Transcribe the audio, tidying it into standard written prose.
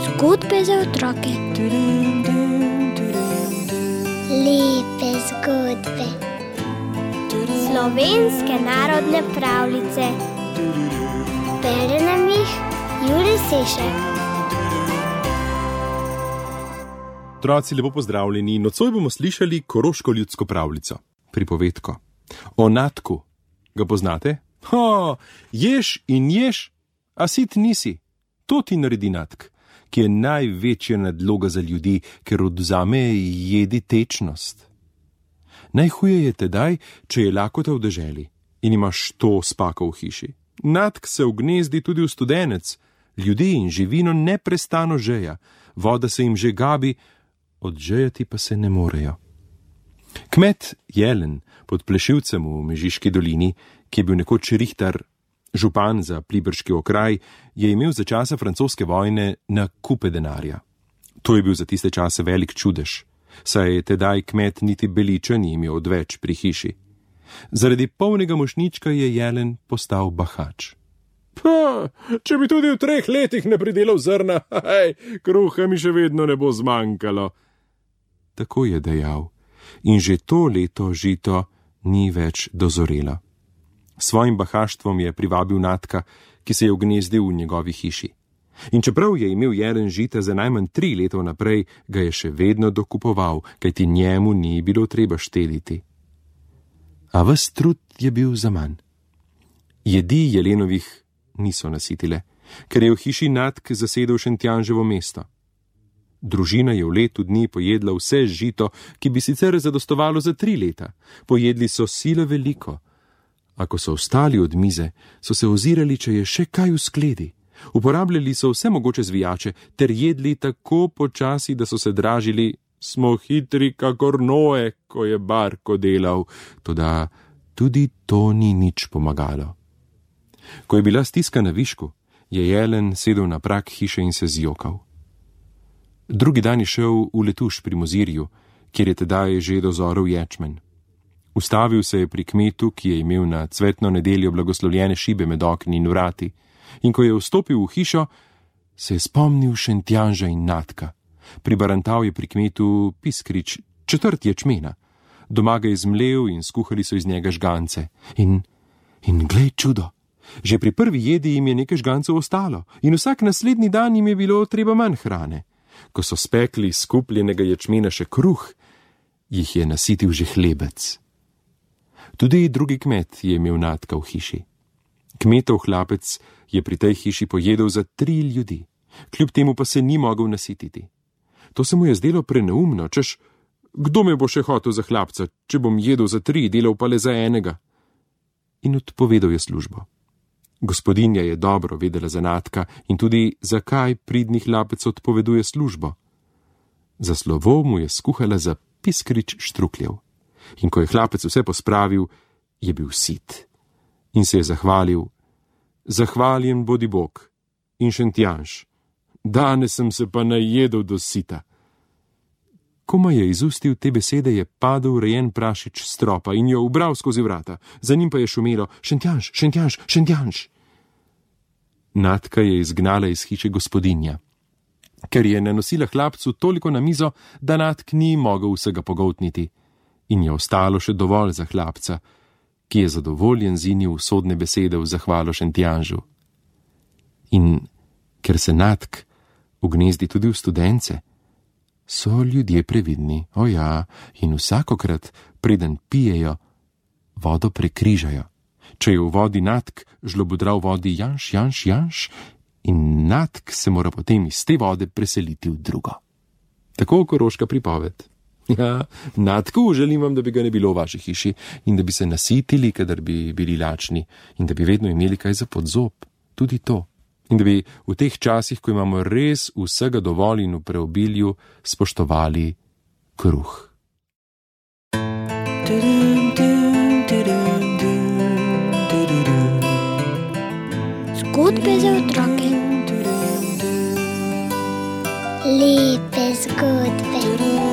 Zgodbe za otroke. Lepe zgodbe. Slovenske narodne pravljice. Bere nam jih Jurij Sešek. Otroci, lepo pozdravljeni. Nocoj bomo slišali koroško ljudsko pravljico, pripovedko o Natku. Ga poznate? Ješ in ješ, a sit nisi. To ti naredi Natk, ki je največja nadloga za ljudi, ker odvzame jedi tečnost. Najhuje je tedaj, če je lakota v deželi in imaš to spako v hiši. Natk se vgnezdi tudi v studenec, ljudi in živino neprestano žeja, voda se jim že gabi, odžejati pa se ne morejo. Kmet Jelen pod Plešivcem v Mežiški dolini, ki je bil nekoč rihtar, župan za pliberški okraj, je imel za časa francoske vojne na kupe denarja. To je bil za tiste čase velik čudež, saj je tedaj kmet niti beliča ni imel odveč pri hiši. Zaradi polnega mošnjička je Jelen postal bahač. Če bi tudi v 3 letih ne pridelal zrna, kruha mi še vedno ne bo zmanjkalo. Tako je dejal, in že to leto žito ni več dozorelo. Svojim bahaštvom je privabil Natka, ki se je vgnezdil v njegovi hiši. In čeprav je imel Jelen žita za najmanj 3 leta naprej, ga je še vedno dokupoval, kajti njemu ni bilo treba štediti. A ves trud je bil zaman. Jedi Jelenovih niso nasitile, ker je v hiši Natk zasedel Šentjanževo mesto. Družina je v letu dni pojedla vse žito, ki bi sicer zadostovalo za 3 leta. Pojedli so sile veliko. A ko so vstali od mize, so se ozirali, če je še kaj v skledi. Uporabljali so vse mogoče zvijače, ter jedli tako počasi, da so se dražili, smo hitri kakor Noe, ko je barko delal, toda tudi to ni nič pomagalo. Ko je bila stiska na višku, je Jelen sedel na prag hiše in se zjokal. Drugi dan je šel v Letuš pri Mozirju, kjer je tedaj že dozorel ječmen. Ustavil se je pri kmetu, ki je imel na cvetno nedeljo blagoslovljene šibe med okni in vrati, in ko je vstopil v hišo, se je spomnil Šentjanža in Natka. Pribarantal je pri kmetu piskrič, 4 ječmena. Doma ga je zmlel in skuhali so iz njega žgance. In glej čudo, že pri prvi jedi jim je nekaj žgancev ostalo in vsak naslednji dan jim je bilo treba manj hrane. Ko so spekli iz skupljenega ječmena še kruh, jih je nasitil že hlebec. Tudi drugi kmet je imel Natka v hiši. Kmetov hlapec je pri tej hiši pojedel za 3 ljudi, kljub temu pa se ni mogel nasititi. To se mu je zdelo preneumno, češ, kdo me bo še hotel za hlapca, če bom jedel za 3, delal pa le za enega. In odpovedal je službo. Gospodinja je dobro vedela za Natka in tudi zakaj pridni hlapec odpoveduje službo. Za slovo mu je skuhala za piskrič štrukljev. In ko je hlapec vse pospravil, je bil sit. In se je zahvalil: Zahvaljen bodi Bog in Šentjanž, danes sem se pa najedel do sita. Koma je izustil te besede, je padel rejen prašič s stropa in jo ubral skozi vrata. Za njim pa je šumelo: Šentjanž, Šentjanž, Šentjanž. Natka je izgnala iz hiše gospodinja, ker je nanosila hlapcu toliko na mizo, da Natk ni mogel vsega pogoltniti. In je ostalo še dovolj za hlapca, ki je zadovoljen zinil usodne besede v zahvalo Šentjanžu. In ker se Natk vgnezdi tudi v studence, so ljudje previdni, in vsakokrat, preden pijejo, vodo prekrižajo. Če je v vodi Natk, žlobodra v vodi Janš, Janš, Janš, in Natk se mora potem iz te vode preseliti v drugo. Tako koroška pripoved. Natku, želim vam, da bi ga ne bilo v vaši hiši in da bi se nasitili, kadar bi bili lačni in da bi vedno imeli kaj za podzob, tudi to. In da bi v teh časih, ko imamo res vsega dovolj in v preobilju, spoštovali kruh. Zgodbe za otroke. Lepe zgodbe.